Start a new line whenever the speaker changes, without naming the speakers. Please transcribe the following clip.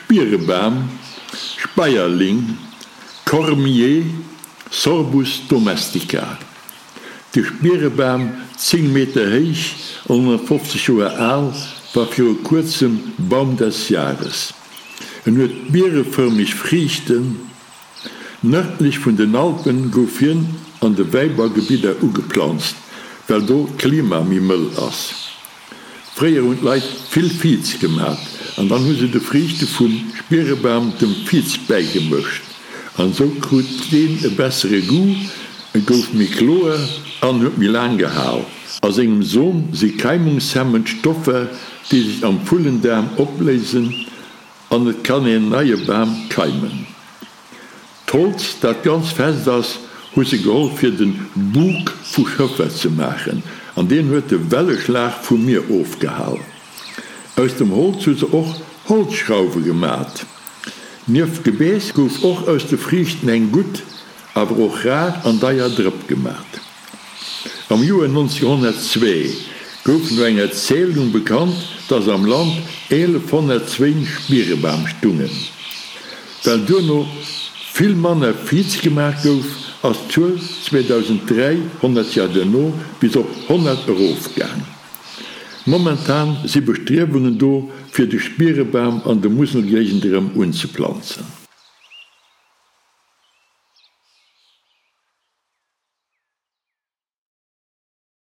Spierebam, Speierling, Cormier, Sorbus domestica. De Spierebam, 10 Meter héich an 150 Joer al, war viru kuerzem Baum des Jahres. En huet bierefërmeg Friichten. Nërdlech vun den Alpen gouf hien an de Wäibaugebidder ugeplanzt, well do d'Klima méi mëll ass. Fréier hunn d'Leit vill Viz gemat an dann hu se de Friichte vum Spierebam dem Viz bäigemëscht an esou krut deen e bessere Goût, e gouf méi kloer an huet méi laang gehal. A sengem Som si keimungshemmend Stoffer, déi sech am Vullendaarm opléisen an et kann een neie Bam keimen. D'Holz, dat ganz fest ass, hu se geholl fir den Bug vu Schëffer ze maachen, an deen huet de Welleschlag vum Mier ofgehal. Aus dem Holz hu se och Holzschrauwe gemat. Nieft Gebääss gouf och aus de Friichten eng gutt, awer och rar an deier Drëpp gemat. Am Joer 1902 gouf no enger Zählung bekannt, dass am Land 1102 Spierebam stungen. Well duerno vill manner Viz gemaach gouf, ass d'Zuel 2003, 100 Joer duerno, bis op 100 erofgaang. Momentan si Bestriewungen do, fir de Spierebam an de Muselgéigend erëm unzeplanzen.